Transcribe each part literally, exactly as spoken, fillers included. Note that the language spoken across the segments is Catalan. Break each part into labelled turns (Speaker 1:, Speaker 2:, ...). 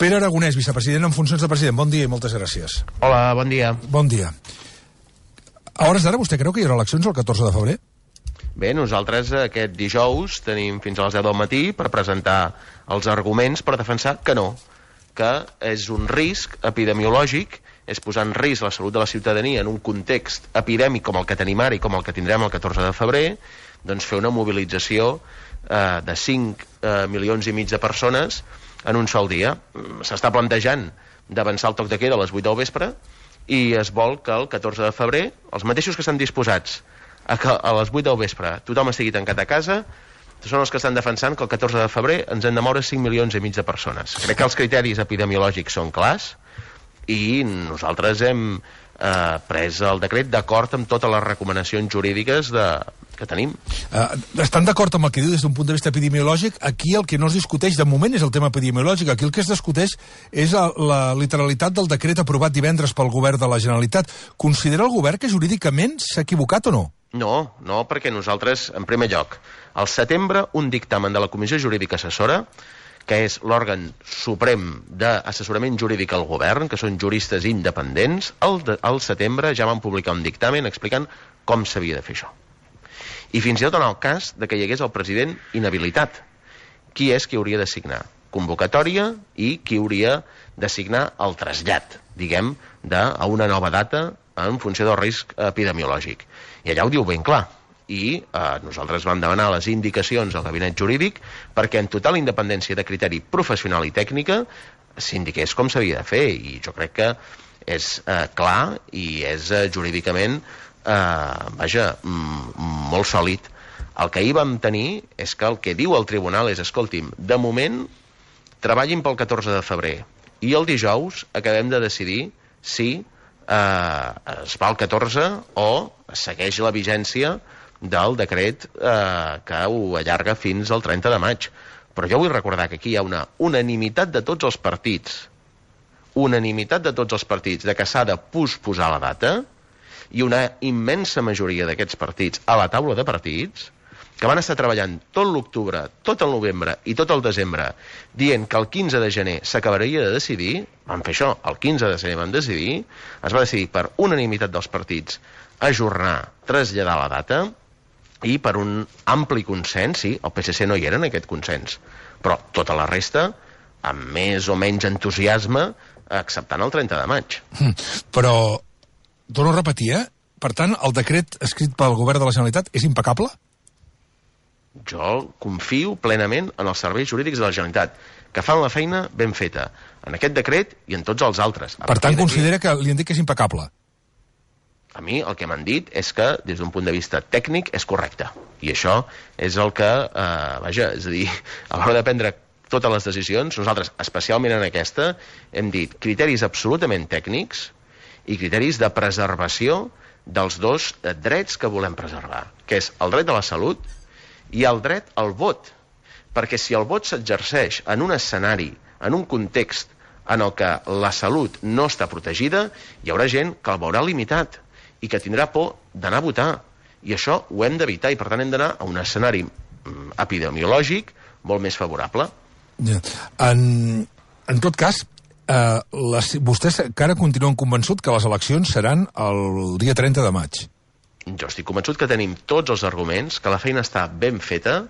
Speaker 1: Pere Aragonès, vicepresident en funcions de president. Bon dia i moltes gràcies.
Speaker 2: Hola, bon dia.
Speaker 1: Bon dia. A hores d'ara, vostè creu que hi haurà eleccions el catorze de febrer?
Speaker 2: Bé, nosaltres aquest dijous tenim fins a les deu del matí per presentar els arguments per defensar que no, que és un risc epidemiològic, és posar en risc la salut de la ciutadania en un context epidèmic com el que tenim ara i com el que tindrem el catorze de febrer, doncs fer una mobilització eh, de cinc eh, milions i mig de persones en un sol dia. S'està plantejant d'avançar el toc de queda a les vuit del vespre i es vol que el catorze de febrer, els mateixos que estan disposats a que a les vuit del vespre tothom estigui tancat a casa, són els que estan defensant que el catorze de febrer ens hem de moure cinc milions i mig de persones. Crec que els criteris epidemiològics són clars i nosaltres hem eh, pres el decret d'acord amb totes les recomanacions jurídiques de, que tenim.
Speaker 1: Uh, estan d'acord amb el que diu des d'un punt de vista epidemiològic? Aquí el que no es discuteix de moment és el tema epidemiològic. Aquí el que es discuteix és la, la literalitat del decret aprovat divendres pel govern de la Generalitat. Considera el govern que jurídicament s'ha equivocat o no?
Speaker 2: No, no, perquè nosaltres, en primer lloc, al setembre, un dictamen de la Comissió Jurídica Assessora, que és l'òrgan suprem d'assessorament jurídic al govern, que són juristes independents, al, de, al setembre ja van publicar un dictamen explicant com s'havia de fer això. I fins i tot en el cas de que hi hagués el president inhabilitat. Qui és qui hauria de signar convocatòria i qui hauria de signar el trasllat, diguem, de, a una nova data en funció del risc epidemiològic. I allà ho diu ben clar. I eh, nosaltres vam demanar les indicacions al gabinet jurídic perquè en total independència de criteri professional i tècnica s'indiqués com s'havia de fer. I jo crec que és eh, clar i és eh, jurídicament eh, vaja, mm, molt sòlid. El que ahir vam tenir és que el que diu el tribunal és, escolti'm, de moment treballin pel catorze de febrer i el dijous acabem de decidir si eh, es fa el catorze o segueix la vigència del decret eh, que ho allarga fins al trenta de maig. Però jo vull recordar que aquí hi ha una unanimitat de tots els partits, unanimitat de tots els partits de que s'ha de posposar la data i una immensa majoria d'aquests partits a la taula de partits que van estar treballant tot l'octubre, tot el novembre i tot el desembre dient que el quinze de gener s'acabaria de decidir, van fer això, el quinze de gener van decidir, es va decidir per unanimitat dels partits ajornar, traslladar la data i per un ampli consens, sí, el P S C no hi era en aquest consens, però tota la resta, amb més o menys entusiasme, acceptant el trenta de maig.
Speaker 1: Però, torno a repetir, eh? Per tant, el decret escrit pel govern de la Generalitat és impecable?
Speaker 2: Jo confio plenament en els serveis jurídics de la Generalitat, que fan la feina ben feta, en aquest decret i en tots els altres.
Speaker 1: Per tant, considera que li han dit que és impecable?
Speaker 2: A mi el que m'han dit és que, des d'un punt de vista tècnic, és correcte. I això és el que, eh, vaja, és a dir, a l'hora de prendre totes les decisions, nosaltres, especialment en aquesta, hem dit criteris absolutament tècnics i criteris de preservació dels dos drets que volem preservar, que és el dret a la salut i el dret al vot. Perquè si el vot s'exerceix en un escenari, en un context en el que la salut no està protegida, hi haurà gent que el veurà limitat i que tindrà por d'anar a votar. I això ho hem d'evitar i, per tant, hem d'anar a un escenari epidemiològic molt més favorable.
Speaker 1: Ja. En, en tot cas, eh, les, vostès encara continuen convençut que les eleccions seran el dia trenta de maig.
Speaker 2: Jo estic convençut que tenim tots els arguments, que la feina està ben feta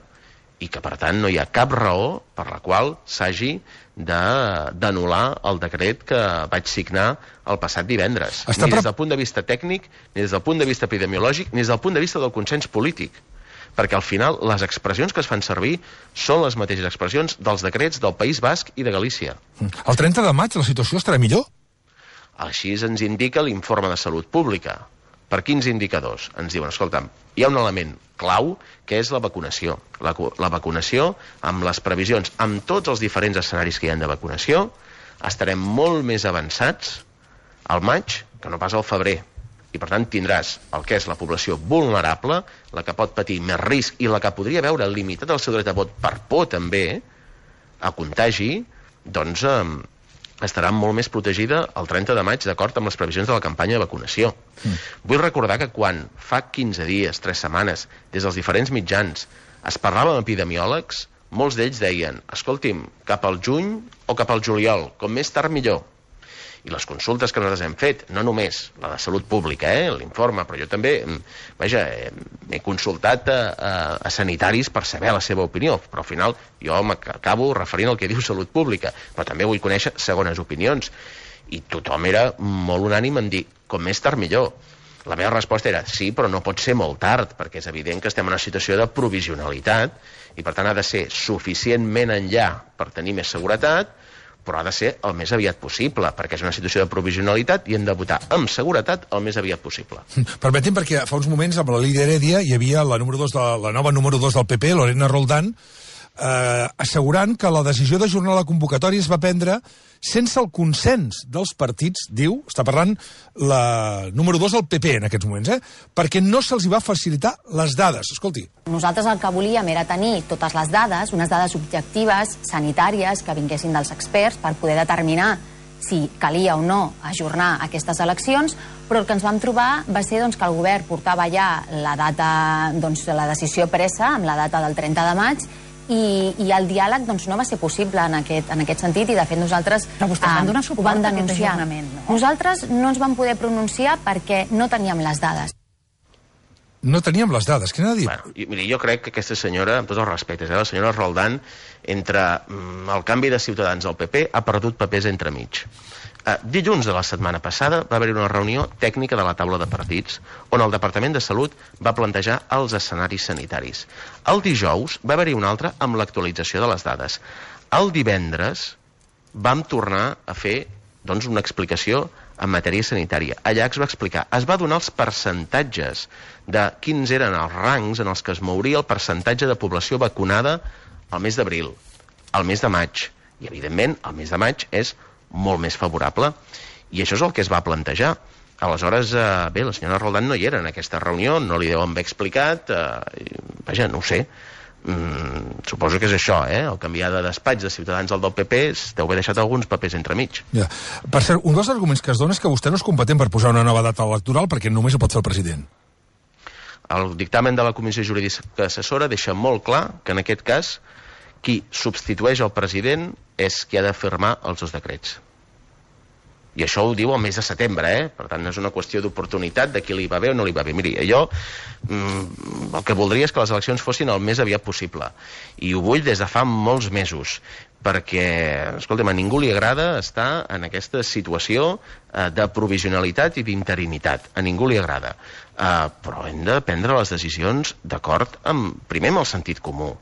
Speaker 2: i que, per tant, no hi ha cap raó per la qual s'hagi d'anul·lar el decret que vaig signar el passat divendres. Està ni des del punt de vista tècnic, ni des del punt de vista epidemiològic, ni des del punt de vista del consens polític. Perquè al final les expressions que es fan servir són les mateixes expressions dels decrets del País Basc i de Galícia.
Speaker 1: El trenta de maig la situació estarà millor?
Speaker 2: Així ens indica l'informe de Salut Pública. Per quins indicadors? Ens diuen, escolta'm, hi ha un element clau que és la vacunació. La, la vacunació, amb les previsions, amb tots els diferents escenaris que hi ha de vacunació, estarem molt més avançats al maig que no pas al febrer. I per tant tindràs el que és la població vulnerable, la que pot patir més risc i la que podria veure limitat el seu dret a vot per por també a contagi, doncs eh, estarà molt més protegida el trenta de maig d'acord amb les previsions de la campanya de vacunació. Mm. Vull recordar que quan fa quinze dies, tres setmanes, des dels diferents mitjans es parlava amb epidemiòlegs, molts d'ells deien, escolti'm, cap al juny o cap al juliol, com més tard millor. I les consultes que nosaltres hem fet, no només la de salut pública, eh, l'informe, però jo també, vaja, m'he consultat a, a, a sanitaris per saber la seva opinió, però al final jo m'acabo referint al que diu salut pública, però també vull conèixer segones opinions. I tothom era molt unànim en dir, com més tard millor. La meva resposta era, sí, però no pot ser molt tard, perquè és evident que estem en una situació de provisionalitat i per tant ha de ser suficientment enllà per tenir més seguretat, però ha de ser el més aviat possible, perquè és una situació de provisionalitat i hem de votar amb seguretat el més aviat possible.
Speaker 1: Permetin, perquè fa uns moments amb la Lídia Heredia hi havia la, número dos de, la nova número dos del P P, Lorena Roldán, eh, assegurant que la decisió d'ajornar la convocatòria es va prendre sense el consens dels partits, diu, està parlant la número dos del P P en aquests moments, eh? Perquè no se'ls va facilitar les dades. Escolti.
Speaker 3: Nosaltres el que volíem era tenir totes les dades, unes dades objectives, sanitàries, que vinguessin dels experts per poder determinar si calia o no ajornar aquestes eleccions, però el que ens vam trobar va ser doncs, que el govern portava ja la data, doncs, la decisió presa amb la data del trenta de maig i, i el diàleg doncs, no va ser possible en aquest, en aquest sentit i de fet nosaltres
Speaker 4: però vostès van donar suport
Speaker 3: van
Speaker 4: a aquest ajornament, no?
Speaker 3: Nosaltres no ens vam poder pronunciar perquè no teníem les dades.
Speaker 1: No teníem les dades, què n'ha dit?
Speaker 2: Bueno, i, miri, jo crec que aquesta senyora, amb tots els respectes, eh, la senyora Roldán, entre mm, el canvi de Ciutadans al P P, ha perdut papers entremig. Eh, dilluns de la setmana passada va haver-hi una reunió tècnica de la taula de partits on el Departament de Salut va plantejar els escenaris sanitaris. El dijous va haver-hi una altra amb l'actualització de les dades. El divendres vam tornar a fer doncs, una explicació en matèria sanitària. Allà es va explicar, es va donar els percentatges de quins eren els rangs en els que es mouria el percentatge de població vacunada al mes d'abril, al mes de maig. I, evidentment, el mes de maig és molt més favorable. I això és el que es va plantejar. Aleshores, eh, bé, la senyora Roldán no hi era en aquesta reunió, no li deuen haver explicat, eh, vaja, no ho sé. Mm, suposo que és això, eh? El canviar de despatx de Ciutadans al del P P deu haver deixat alguns papers entremig.
Speaker 1: Ja. Per cert, un dels arguments que es dona és que vostè no és competent per posar una nova data electoral perquè només ho pot fer el president.
Speaker 2: El dictamen de la Comissió Jurídica Assessora deixa molt clar que en aquest cas qui substitueix el president és qui ha de firmar els dos decrets. I això ho diu el mes de setembre, eh? Per tant, no és una qüestió d'oportunitat de qui li va bé o no li va bé. Miri, jo mm, el que voldria és que les eleccions fossin el més aviat possible. I ho vull des de fa molts mesos, perquè, escolta'm, a ningú li agrada estar en aquesta situació eh, de provisionalitat i d'interinitat. A ningú li agrada. Eh, però hem de prendre les decisions d'acord amb, primer, amb el sentit comú.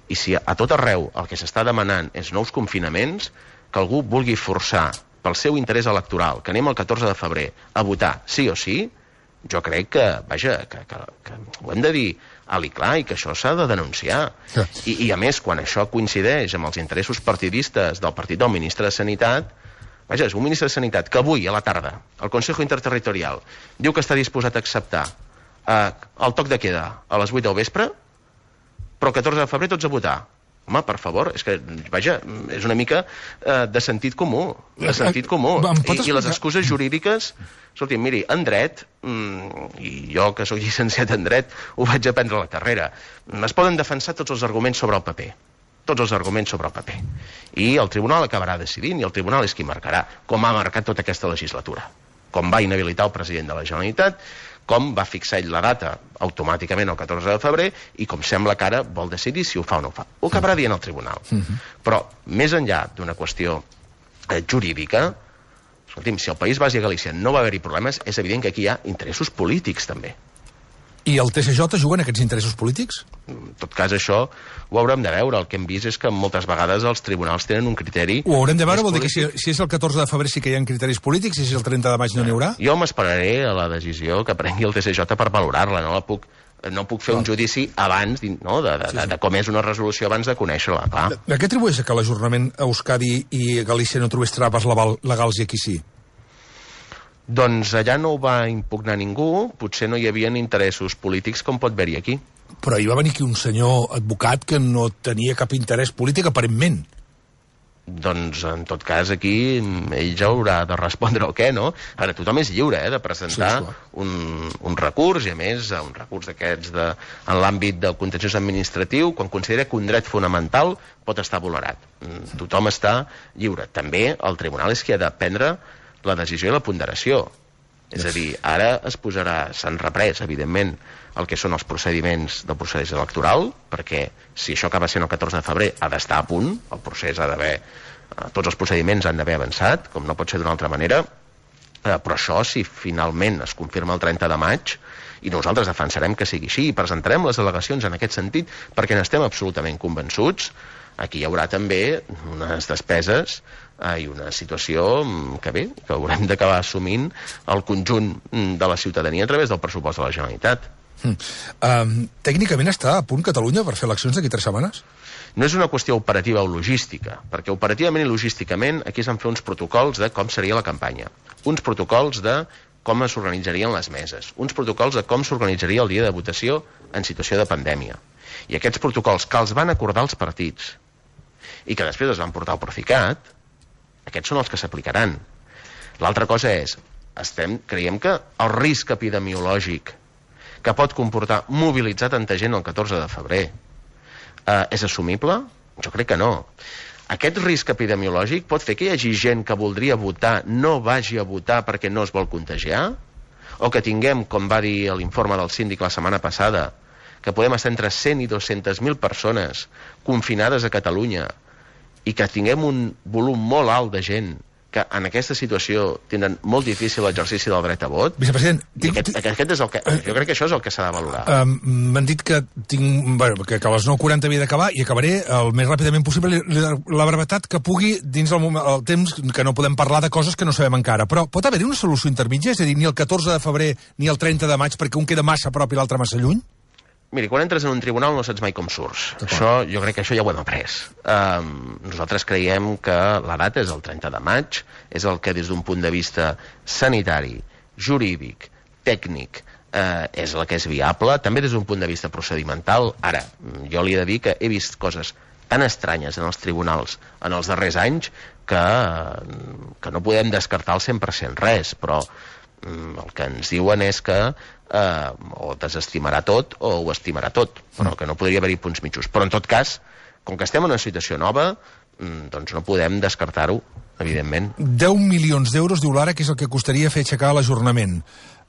Speaker 2: I si a tot arreu el que s'està demanant és nous confinaments, que algú vulgui forçar pel seu interès electoral, que anem el catorze de febrer a votar sí o sí, jo crec que, vaja, que, que, que ho hem de dir alt i clar i que això s'ha de denunciar.
Speaker 1: Sí.
Speaker 2: I, I a més, quan això coincideix amb els interessos partidistes del partit del ministre de Sanitat, vaja, és un ministre de Sanitat que avui, a la tarda, el Consejo Interterritorial diu que està disposat a acceptar eh, el toc de queda a les vuit del vespre, però el catorze de febrer tots a votar. Home, per favor, és que, vaja, és una mica eh, de sentit comú, de sentit comú. I, i les excuses jurídiques, escolti, miri, en dret, mm, i jo que sóc llicenciat en dret, ho vaig aprendre a la carrera, es poden defensar tots els arguments sobre el paper, tots els arguments sobre el paper. I el tribunal acabarà decidint, i el tribunal és qui marcarà, com ha marcat tota aquesta legislatura, com va inhabilitar el president de la Generalitat, com va fixar ell la data automàticament el catorze de febrer i com sembla que ara vol decidir si ho fa o no ho fa. Ho acabarà dient el tribunal. Uh-huh. Però, més enllà d'una qüestió eh, jurídica, escolti'm, si el País Basc i Galícia no va haver-hi problemes, és evident que aquí hi ha interessos polítics, també.
Speaker 1: I el T S J juga en aquests interessos polítics?
Speaker 2: En tot cas, això ho haurem de veure. El que hem vist és que moltes vegades els tribunals tenen un criteri...
Speaker 1: Ho haurem de veure, vol dir que si, si és el catorze de febrer sí que hi ha criteris polítics, i si és el trenta de maig no n'hi haurà?
Speaker 2: Jo m'esperaré a la decisió que prengui el T S J per valorar-la, no la puc... No puc fer un judici abans, no, de, de, sí, sí. de, de com és una resolució abans de conèixer-la, clar.
Speaker 1: De, de què atribueix que l'ajornament a Euskadi i Galícia no trobés traves legals i aquí sí?
Speaker 2: Doncs allà no ho va impugnar ningú, potser no hi havia interessos polítics com pot haver-hi aquí.
Speaker 1: Però hi va venir aquí un senyor advocat que no tenia cap interès polític, aparentment.
Speaker 2: doncs en tot cas aquí ell ja haurà de respondre el què, no? Ara, tothom és lliure eh, de presentar sí, un, un recurs, i a més un recurs d'aquests de, en l'àmbit del contenciós administratiu, quan considera que un dret fonamental pot estar vulnerat. Tothom està lliure. També el tribunal és qui ha de prendre la decisió i la ponderació. És a dir, ara es posarà, s'han reprès, evidentment, el que són els procediments del procés electoral, perquè si això acaba sent el catorze de febrer ha d'estar a punt, el procés ha d'haver, tots els procediments han d'haver avançat, com no pot ser d'una altra manera, eh, però això, si finalment es confirma el trenta de maig, i nosaltres defensarem que sigui així, i presentarem les al·legacions en aquest sentit, perquè n'estem absolutament convençuts, aquí hi haurà també unes despeses i una situació que bé, que haurem d'acabar assumint el conjunt de la ciutadania a través del pressupost de la Generalitat.
Speaker 1: Mm. Um, tècnicament està a punt Catalunya per fer eleccions d'aquí tres setmanes?
Speaker 2: No és una qüestió operativa o logística, perquè operativament i logísticament aquí es van fer uns protocols de com seria la campanya, uns protocols de com s'organitzarien les meses, uns protocols de com s'organitzaria el dia de votació en situació de pandèmia. I aquests protocols que els van acordar els partits i que després es van portar al Procicat, aquests són els que s'aplicaran. L'altra cosa és, estem, creiem que el risc epidemiològic que pot comportar mobilitzar tanta gent el catorze de febrer eh, és assumible? Jo crec que no. Aquest risc epidemiològic pot fer que hi hagi gent que voldria votar, no vagi a votar perquè no es vol contagiar? O que tinguem, com va dir l'informe del síndic la setmana passada, que podem estar entre cent i dues-centes mil persones confinades a Catalunya i que tinguem un volum molt alt de gent que en aquesta situació tenen molt difícil l'exercici del dret a vot.
Speaker 1: Vicepresident,
Speaker 2: tinc, aquest, aquest és el que, jo crec que això és el que s'ha de valorar.
Speaker 1: Um, M'han dit que tinc, bueno, que, que a les nou quaranta havia d'acabar i acabaré el més ràpidament possible. La, la brevetat que pugui dins el, moment, el temps que no podem parlar de coses que no sabem encara. Però pot haver-hi una solució intermitja? És a dir, ni el catorze de febrer ni el trenta de maig perquè un queda massa a prop i l'altre massa lluny?
Speaker 2: Miri, quan entres en un tribunal no saps mai com surts. Això, jo crec que això ja ho hem après. Um, nosaltres creiem que la data és el trenta de maig, és el que des d'un punt de vista sanitari, jurídic, tècnic, eh, és el que és viable, també des d'un punt de vista procedimental. Ara, jo li he de dir que he vist coses tan estranyes en els tribunals en els darrers anys que, que no podem descartar el cent per cent res, però el que ens diuen és que eh, o desestimarà tot o ho estimarà tot, però que no podria haver-hi punts mitjos. Però en tot cas, com que estem en una situació nova, doncs no podem descartar-ho, evidentment.
Speaker 1: deu milions d'euros, diu l'Ara, que és el que costaria fer aixecar l'ajornament.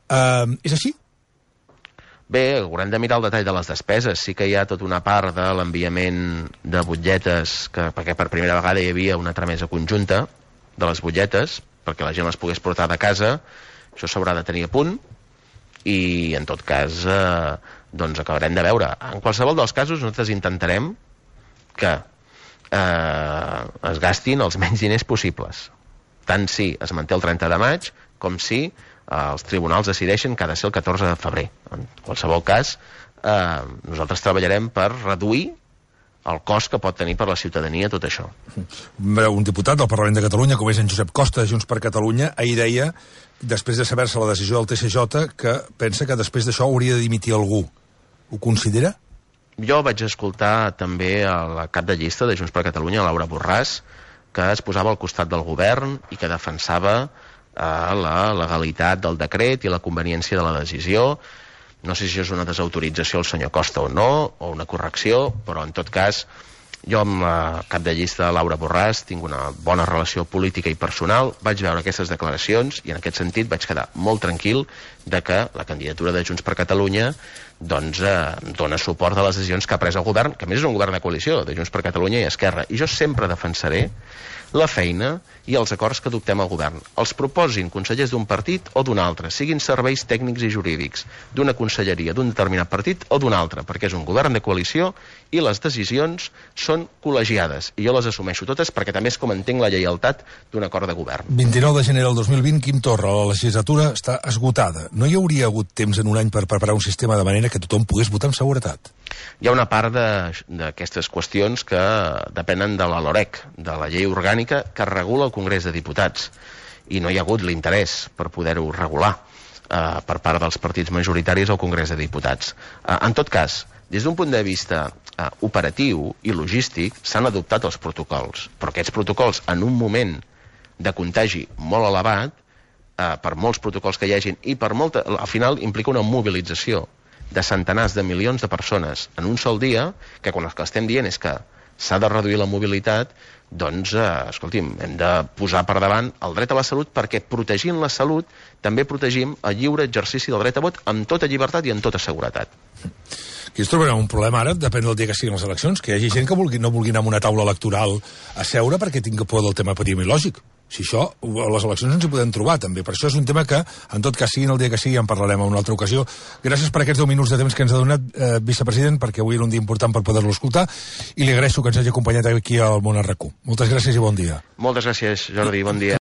Speaker 1: Uh, és així?
Speaker 2: Bé, haurem de mirar el detall de les despeses. Sí que hi ha tota una part de l'enviament de butlletes, que, perquè per primera vegada hi havia una tramesa conjunta de les butlletes, perquè la gent les pogués portar de casa. Això s'haurà de tenir a punt i, en tot cas, eh, doncs acabarem de veure. En qualsevol dels casos, nosaltres intentarem que eh, es gastin els menys diners possibles. Tant si es manté el trenta de maig, com si eh, els tribunals decideixen que ha de ser el catorze de febrer. En qualsevol cas, eh, nosaltres treballarem per reduir el cost que pot tenir per la ciutadania tot això.
Speaker 1: Un diputat del Parlament de Catalunya, com és en Josep Costa, de Junts per Catalunya, ahir deia, després de saber-se la decisió del T C J, que pensa que després d'això hauria de dimitir algú. Ho considera?
Speaker 2: Jo vaig escoltar també a la cap de llista de Junts per Catalunya, Laura Borràs, que es posava al costat del govern i que defensava eh, la legalitat del decret i la conveniència de la decisió. No sé si és una desautorització al senyor Costa o no, o una correcció, però en tot cas, jo amb la cap de llista Laura Borràs tinc una bona relació política i personal, vaig veure aquestes declaracions i en aquest sentit vaig quedar molt tranquil de que la candidatura de Junts per Catalunya doncs eh, dona suport a les decisions que ha pres el govern, que a més és un govern de coalició, de Junts per Catalunya i Esquerra, i jo sempre defensaré la feina i els acords que adoptem al govern. Els proposin consellers d'un partit o d'un altre, siguin serveis tècnics i jurídics d'una conselleria d'un determinat partit o d'un altre, perquè és un govern de coalició i les decisions són col·legiades. I jo les assumeixo totes perquè també és com entenc la lleialtat d'un acord de govern.
Speaker 1: vint-i-nou de gener del dos mil vint, Quim Torra, la legislatura està esgotada. No hi hauria hagut temps en un any per preparar un sistema de manera que tothom pogués votar amb seguretat?
Speaker 2: Hi ha una part d'aquestes qüestions que depenen de la LOREC, de la llei orgànica que regula el Congrés de Diputats, i no hi ha hagut l'interès per poder-ho regular eh, per part dels partits majoritaris al Congrés de Diputats. Eh, en tot cas, Des d'un punt de vista eh, operatiu i logístic s'han adoptat els protocols, però aquests protocols en un moment de contagi molt elevat, eh, per molts protocols que hi hagin, i per molta, al final implica una mobilització de centenars de milions de persones en un sol dia, que quan el que estem dient és que s'ha de reduir la mobilitat, doncs, eh, escolti'm, hem de posar per davant el dret a la salut, perquè protegint la salut també protegim el lliure exercici del dret a vot amb tota llibertat i amb tota seguretat.
Speaker 1: Aquí es trobarà un problema ara, depèn del dia que siguin les eleccions, que hi hagi gent que vulgui, no vulgui anar a una taula electoral a seure perquè tingui por del tema epidemiològic. Si això, a les eleccions ens hi podem trobar, també. Per això és un tema que, en tot cas, siguin el dia que sigui, en parlarem en una altra ocasió. Gràcies per aquests deu minuts de temps que ens ha donat, eh, vicepresident, perquè avui era un dia important per poder-lo escoltar, i li agraeixo que ens hagi acompanyat aquí al Món R Q. Moltes gràcies i bon dia.
Speaker 2: Moltes gràcies, Jordi, bon dia.